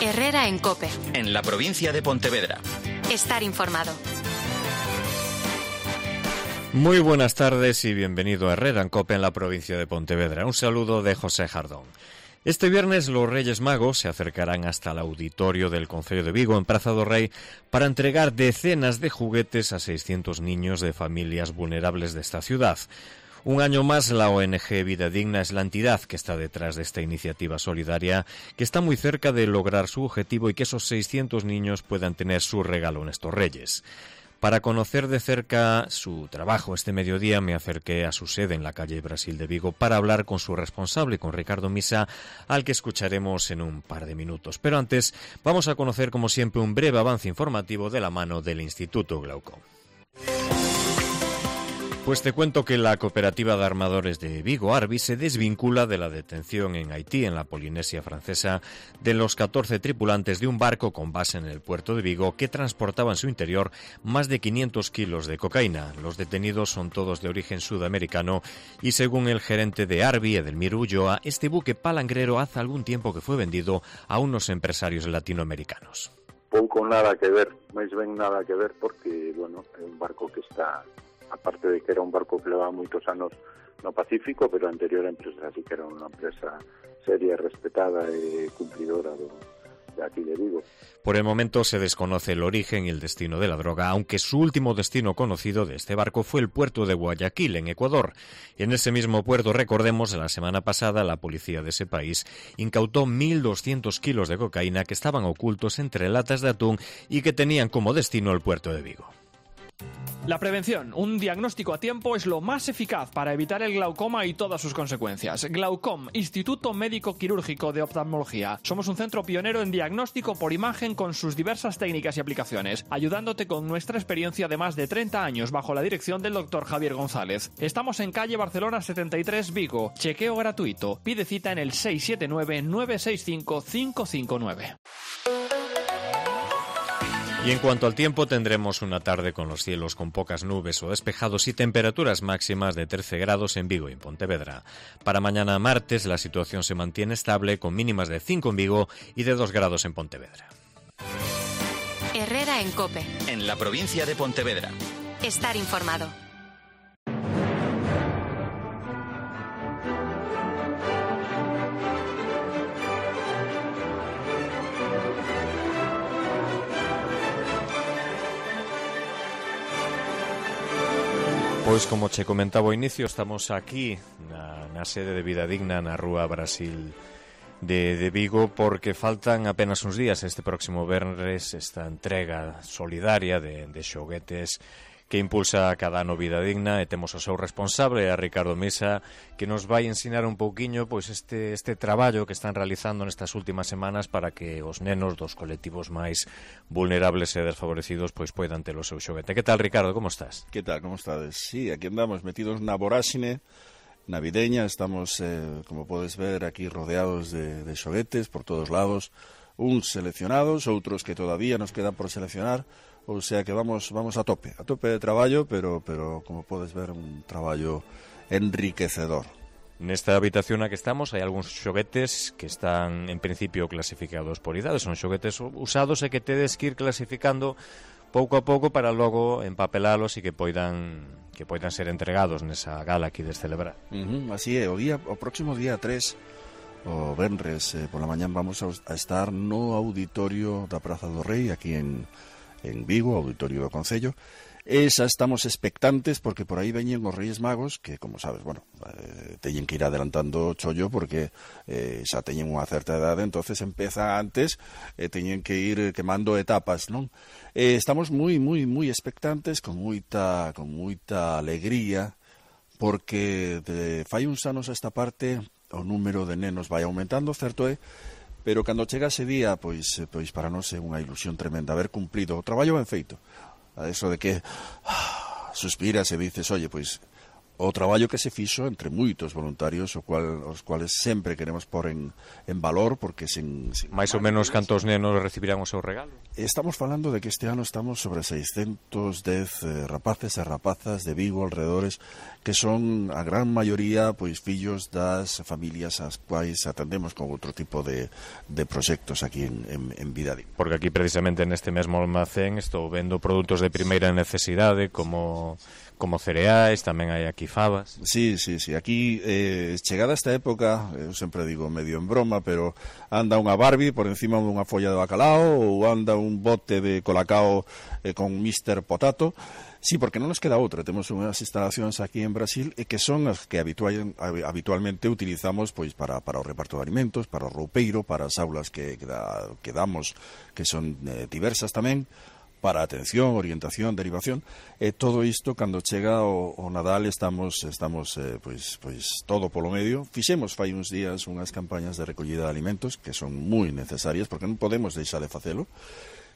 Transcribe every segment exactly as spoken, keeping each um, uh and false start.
Herrera en COPE. En la provincia de Pontevedra. Estar informado. Muy buenas tardes y bienvenido a Herrera en COPE en la provincia de Pontevedra. Un saludo de José Jardón. Este viernes los Reyes Magos se acercarán hasta el auditorio del Concello de Vigo en Praza do Rei para entregar decenas de juguetes a seiscientos niños de familias vulnerables de esta ciudad. Un año más, la O N G Vida Digna es la entidad que está detrás de esta iniciativa solidaria, que está muy cerca de lograr su objetivo y que esos seiscientos niños puedan tener su regalo en estos Reyes. Para conocer de cerca su trabajo este mediodía me acerqué a su sede en la calle Brasil de Vigo para hablar con su responsable, con Ricardo Misa, al que escucharemos en un par de minutos. Pero antes vamos a conocer, como siempre, un breve avance informativo de la mano del Instituto Glaucom. Pues te cuento que la cooperativa de armadores de Vigo, Arbi, se desvincula de la detención en Haití, en la Polinesia Francesa, de los catorce tripulantes de un barco con base en el puerto de Vigo que transportaba en su interior más de quinientos kilos de cocaína. Los detenidos son todos de origen sudamericano y, según el gerente de Arbi, Edelmiro Ulloa, este buque palangrero hace algún tiempo que fue vendido a unos empresarios latinoamericanos. Pouco nada que ver, máis ben nada que ver porque, bueno, é un barco que está... aparte de que era un barco que levaba moitos anos no Pacífico, pero a anterior empresa sí que era unha empresa seria, respetada e cumplidora do, de aquí de Vigo. Por el momento se desconoce el origen y el destino de la droga, aunque su último destino conocido de este barco fue el puerto de Guayaquil, en Ecuador. Y en ese mismo puerto, recordemos, la semana pasada la policía de ese país incautó mil doscientos kilos de cocaína que estaban ocultos entre latas de atún y que tenían como destino el puerto de Vigo. La prevención, un diagnóstico a tiempo, es lo más eficaz para evitar el glaucoma y todas sus consecuencias. Glaucom, Instituto Médico Quirúrgico de Oftalmología. Somos un centro pionero en diagnóstico por imagen con sus diversas técnicas y aplicaciones, ayudándote con nuestra experiencia de más de treinta años bajo la dirección del doctor Javier González. Estamos en calle Barcelona setenta y tres, Vigo. Chequeo gratuito. Pide cita en el seis siete nueve, nueve seis cinco, cinco cinco nueve. Y en cuanto al tiempo, tendremos una tarde con los cielos con pocas nubes o despejados y temperaturas máximas de trece grados en Vigo y en Pontevedra. Para mañana martes la situación se mantiene estable con mínimas de cinco en Vigo y de dos grados en Pontevedra. Herrera en COPE. En la provincia de Pontevedra. Estar informado. Pois, como che comentaba ao inicio, estamos aquí na, na sede de Vida Digna na Rúa Brasil de, de Vigo, porque faltan apenas uns días este próximo venres esta entrega solidaria de, de xoguetes que impulsa cada ano Vida Digna, e temos o seu responsable, a Ricardo Misa, que nos vai ensinar un pouquiño pois este este traballo que están realizando nestas últimas semanas para que os nenos dos colectivos máis vulnerables e desfavorecidos pois poidan ter o seu xoguete. Que tal, Ricardo, como estás? Que tal, como estades? Sí, aquí andamos metidos na voráxine navideña, estamos, eh, como podes ver, aquí rodeados de, de xoguetes por todos lados, uns seleccionados, outros que todavía nos quedan por seleccionar. O sea que vamos vamos a tope, a tope de traballo, pero pero como podes ver, un traballo enriquecedor. Nesta habitación na que estamos hai algúns xoguetes que están en principio clasificados por idade, son xoguetes usados e que tedes que ir clasificando pouco a pouco para logo empapelalos e que poidan que poidan ser entregados nesa gala aquí de celebrar. Uh-huh, así é, o día o próximo día tres, o venres, eh, pola mañán vamos a, a estar no auditorio da Praza do Rei aquí en en Vigo, auditorio do Concello, e xa estamos expectantes porque por aí veñen os Reyes Magos que, como sabes, bueno, eh, teñen que ir adelantando o chollo porque eh, xa teñen unha certa edade, entonces empeza antes e eh, teñen que ir quemando etapas, non? Eh, estamos moi, moi, moi expectantes, con moita, con moita alegría, porque de fai uns anos a esta parte o número de nenos vai aumentando, certo é? Pero cando chega ese día, pois, pois para nós é unha ilusión tremenda haber cumplido o traballo ben feito. A eso de que ah, suspiras e dices, oye, pois o traballo que se fixo entre moitos voluntarios, o cual, os cuales sempre queremos pôr en, en valor, porque sen... sen máis ou menos cantos nenos recibirán o seu regalo? Estamos falando de que este ano estamos sobre seiscentos dez eh, rapaces e rapazas de Vigo, alrededores, que son a gran maioría pois fillos das familias ás quais atendemos con outro tipo de, de proxectos aquí en, en, en Vida Digna. Porque aquí precisamente neste mesmo almacén estou vendo produtos de primeira necesidade como... como cereais, tamén hai aquí fabas. Sí, sí, sí, aquí eh, chegada esta época, eu sempre digo medio en broma, pero anda unha Barbie por encima dunha folla de bacalao ou anda un bote de colacao eh, con mister Potato. Sí, porque non nos queda outra. Temos unhas instalacións aquí en Brasil e que son as que habitual, habitualmente utilizamos pois para, para o reparto de alimentos, para o roupeiro, para as aulas que, que, da, que damos, que son eh, diversas tamén, para atención, orientación, derivación, e todo isto cando chega o, o Nadal estamos estamos eh, pois pois todo polo medio. Fixemos fai uns días unhas campañas de recollida de alimentos que son moi necesarias porque non podemos deixar de facelo.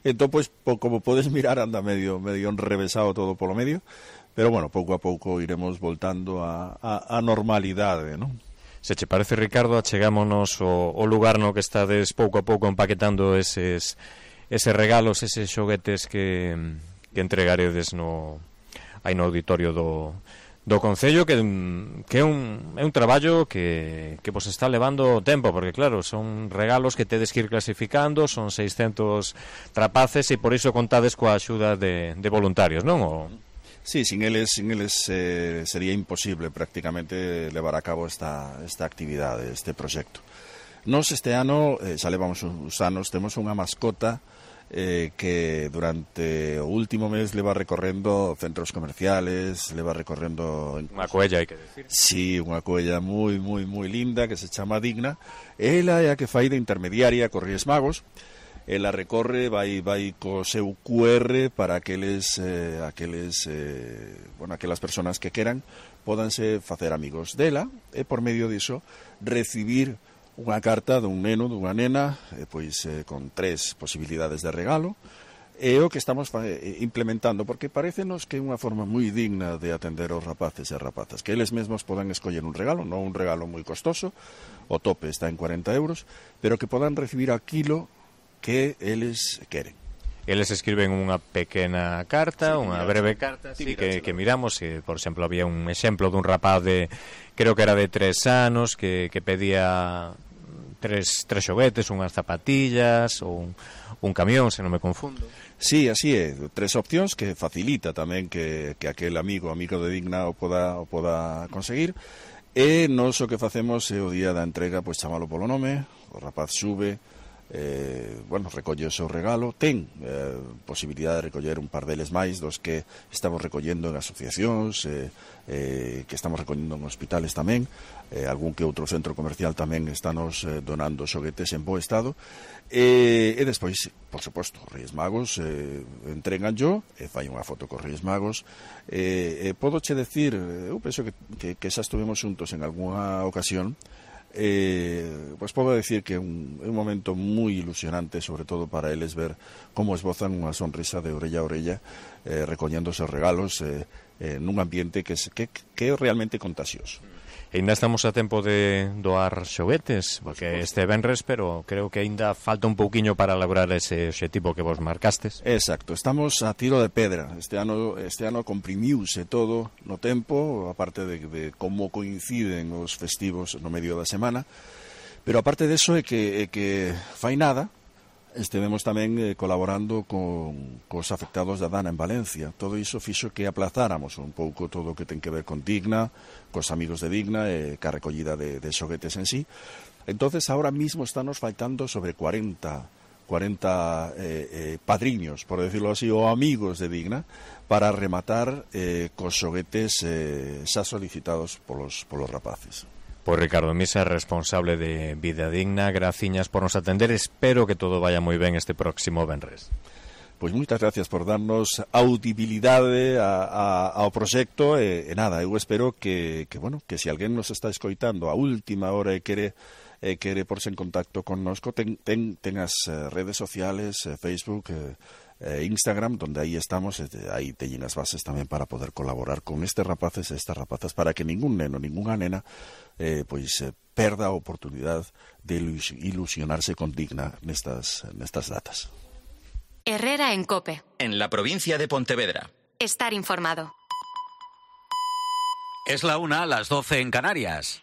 Entón, pois, po, como podes mirar, anda medio medio enrevesado todo polo medio, pero bueno, pouco a pouco iremos voltando a, a, a normalidade, non? Se che parece, Ricardo, achegámonos o, o lugar no que estades pouco a pouco empaquetando eses eses regalos, eses xoguetes que, que entregaredes no, aí no auditorio do, do Concello, que, que é, un, é un traballo que, que vos está levando tempo, porque claro, son regalos que tedes que ir clasificando, son seiscentos trapaces e por iso contades coa axuda de, de voluntarios, non? O... Sí, sin eles, sin eles eh, sería imposible prácticamente levar a cabo esta, esta actividade, este proxecto. Nos este ano, eh, xa levamos uns anos, temos unha mascota Eh, que durante o último mes leva recorrendo centros comerciales, leva recorrendo... Unha coella, hai que decir. Sí, unha coella moi, moi, moi linda que se chama Digna. Ela é a que fai de intermediaria cos Reis Magos. Ela recorre, vai vai co seu Q R para aqueles, eh, aqueles eh, bueno, aquelas personas que queran pódanse facer amigos dela e por medio diso recibir unha carta dun neno, dunha nena, eh, pois eh, con tres posibilidades de regalo, e o que estamos eh, implementando, porque parécenos que é unha forma moi digna de atender aos rapaces e rapazas, que eles mesmos podan escoller un regalo, non un regalo moi costoso, o tope está en cuarenta euros, pero que podan recibir aquilo que eles queren. Eles escriben unha pequena carta, sí, unha breve carta, sí, que, que miramos, e, por exemplo, había un exemplo dun rapaz de, creo que era de tres anos, que, que pedía tres, tres xoguetes, unhas zapatillas ou un, un camión, se non me confundo. Sí, así é, tres opcións que facilita tamén que, que aquel amigo, amigo de Digna o poda, o poda conseguir. E nos o que facemos é o día da entrega, pois chamalo polo nome, o rapaz sube, eh, bueno, recolle o seu regalo, ten eh, posibilidade de recoller un par deles máis dos que estamos recollendo en asociacións, eh, eh, que estamos recollendo en hospitales tamén, eh, algún que outro centro comercial tamén estanos eh, donando xoguetes en bo estado, e, e despois, por suposto, os Reis Magos eh, entregan yo, e fai unha foto cos Reis Magos, e, e podo che decir, eu penso que, que, que xa estuvemos xuntos en algunha ocasión. Eh, pues podo decir que é un, un momento moi ilusionante, sobre todo para eles, ver como esbozan unha sonrisa de orella a orella, eh, recollendo os regalos eh, eh, nun ambiente que, es, que, que é realmente contagioso. E ainda estamos a tempo de doar xoguetes, porque este venres, pero creo que ainda falta un pouquiño para lograr ese obxectivo que vos marcastes. Exacto, estamos a tiro de pedra. Este ano este ano comprimiuse todo no tempo, aparte de, de como coinciden os festivos no medio da semana, pero aparte de eso é que, é que fai nada, estivemos tamén eh, colaborando con cos afectados da Dana en Valencia. Todo iso fixo que aplazáramos un pouco todo o que ten que ver con Digna, cos amigos de Digna e ca recollida de, de xoguetes en sí. Entonces, ahora mismo estamos faltando sobre cuarenta eh, eh, padriños, por decirlo así, ou amigos de Digna, para rematar eh, cos xoguetes eh, xa solicitados polos, polos rapaces. Pois Ricardo Misa, responsable de Vida Digna, graciñas por nos atender, espero que todo vaya moi ben este próximo venres. Pois moitas gracias por darnos audibilidade a, a, ao proxecto e, e nada, eu espero que, que, bueno, que se alguén nos está escoitando a última hora e quere, e quere porse en contacto connosco, ten, ten, ten as redes sociales, Facebook, eh, eh, Instagram, donde ahí estamos, ahí teñen as bases tamén para poder colaborar con estes rapaces e estas rapazas para que ningún neno, ningunha nena eh, pois eh, perda a oportunidade de ilusionarse con digna nestas, nestas datas. Herrera en COPE. En la provincia de Pontevedra. Estar informado. Es la una, las doce en Canarias.